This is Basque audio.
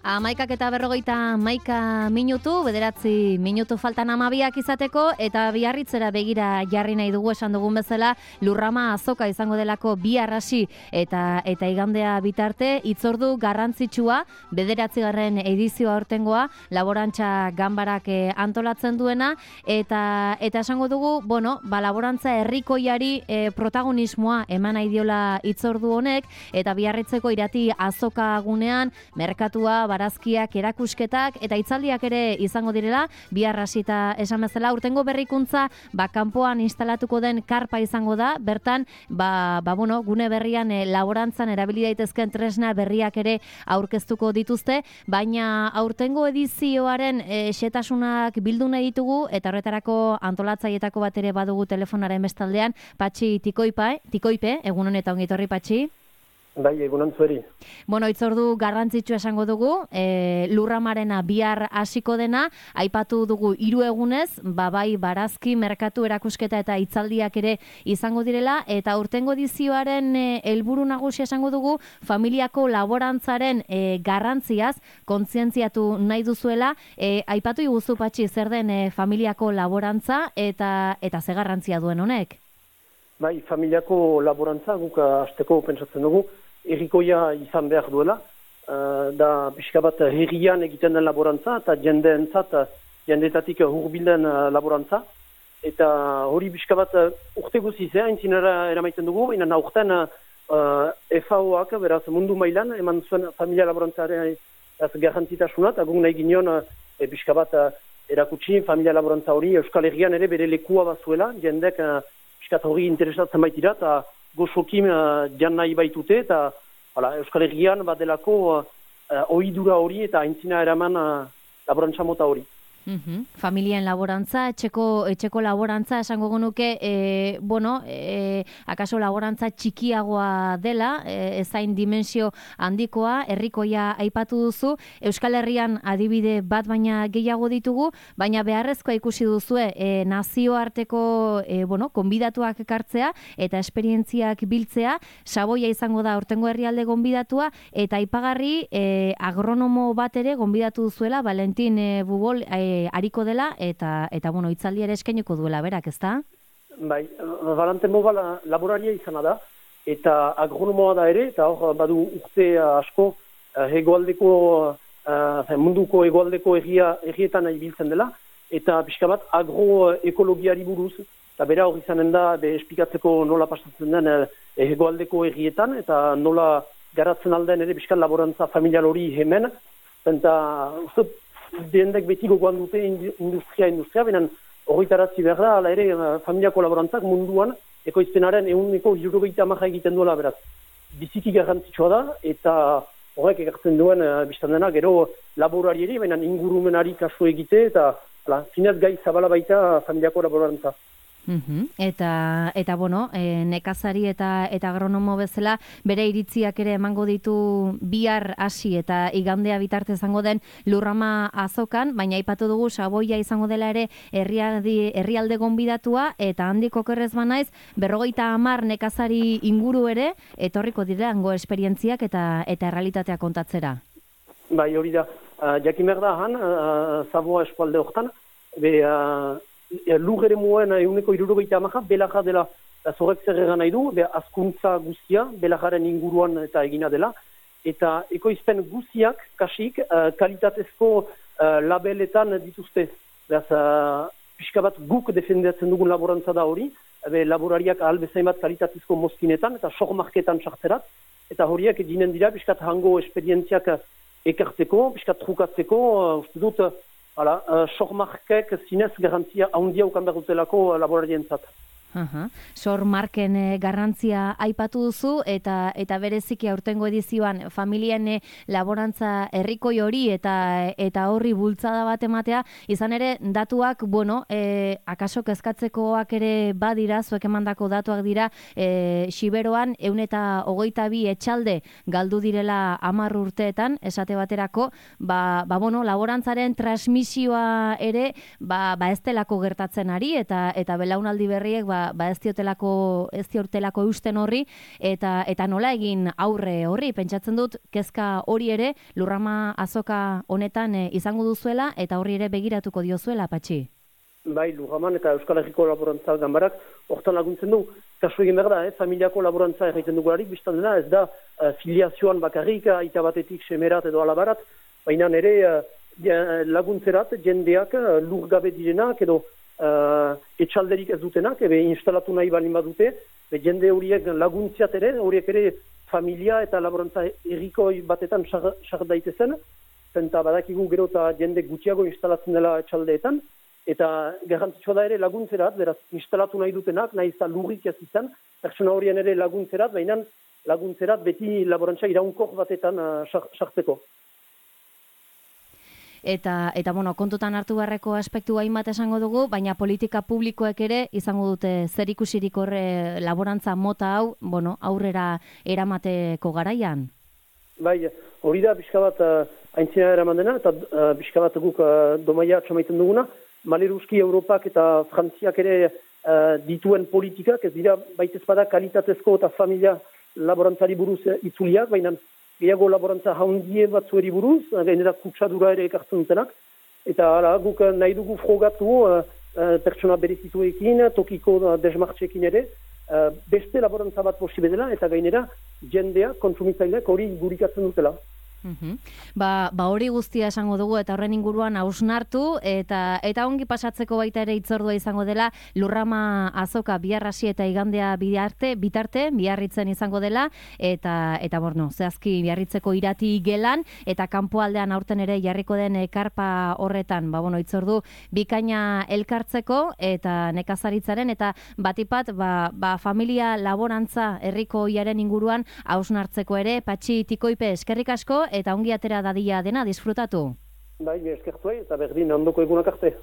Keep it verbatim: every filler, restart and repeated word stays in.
Amaikak eta berrogeita maika minutu, bederatzi minutu faltan amabiak izateko, eta biarritzera begira jarri nahi dugu esan dugun bezala, Lurrama azoka izango delako bihar hasi eta eta igandea bitarte, hitzordu garrantzitsua, bederatzigarren edizioa aurtengoa, laborantza ganbarak antolatzen duena, eta eta esango dugu, bueno, ba, laborantza herrikoiari e, protagonismoa eman nahi diola hitzordu honek, eta biarritzeko irati azoka gunean, merkatua, barazkiak, erakusketak eta hitzaldiak ere izango direla, bihar hasita esan bezala, urtengo berrikuntza ba kanpoan instalatuko den karpa izango da, bertan ba, ba bueno, gune berrian e, laborantzan erabili daitezken tresna berriak ere aurkeztuko dituzte, baina aurtengo edizioaren e, xetasunak bildu nahi ditugu eta horretarako antolatzailetako bat ere badugu telefonaren bestaldean, Patxi Tikoipa, Tikoipe, egun honetan ongi etorri Patxi. Bai, egunon zueri. Bueno, hitzordu garrantzitsu esango dugu, e, Lurramarena bihar hasiko dena, aipatu dugu hiru egunez, ba bai barazki, merkatu, erakusketa eta hitzaldiak ere izango direla, eta urtengo edizioaren e, helburu nagusia esango dugu, familiako laborantzaren e, garrantziaz kontzientziatu nahi duzuela, e, aipatu iguzu Patxi zer den e, familiako laborantza eta eta ze garrantzia duen honek? Bai, familiako laborantza guk hasteko pentsatzen dugu, herrikoia izan behar duela, uh, da pixka bat herrian egiten den laborantza eta jendeentzat, jendeetatik hurbilden uh, laborantza, eta hori pixka bat uh, urte guziz, eh, aintzinera eramaiten dugu, baina aurten uh, F A O-ak, beraz mundu mailan, eman zuen familia laborantzaren garrantzitasuna, eta guk nahi ginen uh, e, pixka bat uh, erakutsi familia laborantza hori Euskal Herrian ere bere lekua bazuela, jendek uh, pixka hori interesatzen baitira, eta gozokim uh, jan nahi baitute, eta hala, Euskal Herrian badelako uh, ohidura hori eta aintzina eraman uh, laborantza mota hori. Uhum. Familien laborantza, etxeko, etxeko laborantza, esango genuke, e, bueno, e, akaso laborantza txikiagoa dela, e, ezain dimensio handikoa, herrikoia aipatu duzu, Euskal Herrian adibide bat baina gehiago ditugu, baina beharrezkoa ikusi duzue, e, nazioarteko, e, bueno, konbidatuak ekartzea, eta esperientziak biltzea, Saboia izango da urtengo herrialde gonbidatua, eta aipagarri e, agronomo bat ere gonbidatu duzuela, Valentin e, Bugol, e, ariko dela, eta, eta bueno, hitzaldi ere eskainiko duela, berak, ezta? Bai, Valentin Bugol laboraria izana da, eta agronomoa da ere, eta hor badu urte asko hegoaldeko, uh, munduko hegoaldeko erria, errietan ibiltzen dela, eta pixka bat agroekologiari buruz, eta bera hor izanen da, be esplikatzeko nola pasatzen den hegoaldeko errietan, eta nola garatzen alden ere pixka laborantza familial hori hemen, eta uste, dendek beti gogoan dute industria, industria, benen horretaratzi behar da, ala ere familiako laborantzak munduan ekoizpenaren ehuneko hirurogeita hamara egiten duela, beraz. Biziki garrantzitsua da, eta horrek ekartzen duen uh, biztan dena, gero laborarieri, benen ingurumenari kasu egite, eta ala, zinez gai zabala baita familiako laborantza. Uhum. Eta, eta bueno, e, nekazari eta eta agronomo bezala bere iritziak ere emango ditu bihar hasi eta igandea bitarte izango den Lurrama azokan, baina aipatu dugu Saboia izango dela ere herrialde, herrialde gonbidatua, eta handik okerrez banaiz berrogeita hamar nekazari inguru ere etorriko direngo esperientziak eta eta errealitatea kontatzera. Bai, hori da, uh, jakin behar da han, uh, Saboa eskualde hortan, be... Uh, lur ere muen eguneko irurogeita amaja, belaja dela zorek zer egan nahi du, be azkuntza guztia, belajaren inguruan eta egina dela, eta ekoizpen guztiak, kasik, uh, kalitatezko uh, labeletan dituzte. Beraz, uh, pixka bat guk defendatzen dugun laborantza da hori, be laborariak ahal bezain bat kalitatezko mozkinetan eta sormarketan sartzerat, eta horiak eginen dira, pixkat hango esperientziak ekartzeko, pixkat trukatzeko, uh, uste dut, hala, uh, sormarkek zinez garantzia handia ukan behar dutelako laborarientzat. Uh-huh. Sor marken e, garrantzia aipatu duzu, eta eta bereziki aurtengo edizioan familien e, laborantza herrikoi hori eta eta horri bultzada bat ematea, izan ere datuak, bueno, e, akaso kezkatzekoak ere badira, zuek emandako datuak dira, e, Xiberoan ehun eta hogeita bi etxalde galdu direla hamar urteetan, esate baterako, ba, ba bueno, laborantzaren transmisioa ere ba, ba ez delako gertatzen ari, eta eta belaunaldi berriek ba ba, ba ez diotelako ez diotelako eusten horri eta eta nola egin aurre horri. Pentsatzen dut kezka hori ere Lurrama azoka honetan e, izango duzuela eta horri ere begiratuko diozuela, Patxi. Bai, Lurraman eta Euskal Herriko Laborantza Ganbarak hortan laguntzen du. Kasu egin behar da, eh? familiako laborantza egiten dugularik, biztan dena, ez da uh, filiazioan bakarrik, aita batetik semerat edo alabarat, baina ere uh, laguntzerat jendeak uh, lur gabe direnak edo uh, etxalderik ez dutenak, ebe instalatu nahi balin badute, be jende horiek laguntziat ere, horiek ere familia eta laborantza errikoi batetan sar daitezen, zenta badakigu gero eta jende gutxiago instalatzen dela etxaldeetan, eta garrantzitsua da ere laguntzerat, beraz, instalatu nahi dutenak, nahi izan lurrik ez izan, pertsona horien ere laguntzerat, baina laguntzerat beti laborantza iraunkor batetan sartzeko. Eta, eta bueno, kontutan hartu beharreko aspektu hainbat esango dugu, baina politika publikoek ere izango dute zer ikusirik horre laborantza mota hau, bueno, aurrera eramateko garaian? Bai, hori da, pixka bat aintzina eraman dena, eta uh, pixka bat guk uh, domaia atxamaiten duguna, Maleruski Europak eta Frantziak ere uh, dituen politikak, ez dira baitez bada kalitatezko eta familia laborantzari buruz itzuliak, baina gehiago laborantza haundie batzueri buruz, gainera kutsadura ere ekartzen dutenak, eta ara, guk nahi dugu frogatu uh, uh, pertsona berezituekin, tokiko uh, desmartxekin ere, uh, beste laborantza bat posible dela, eta gainera jendea, kontsumitzaileak hori gurikatzen dutela. Uhum. Ba, ba hori guztia esango dugu eta horren inguruan hausnartu eta eta ongi pasatzeko baita ere hitzordua izango dela Lurrama azoka biharrasi eta igandea bidarte, bitarte Biarritzen izango dela eta eta bueno, zehazki Biarritzeko irati gelan eta kanpoaldean aurten ere jarriko den karpa horretan, ba bueno, hitzordu bikaina elkartzeko eta nekazaritzaren eta batipat ba, ba familia laborantza herriko iaren inguruan hausnartzeko ere. Patxi Tikoipe, eskerrik asko eta ongi atera dadila dena disfrutatu. Bai, eskertu eta berdin ondoko egunak arte.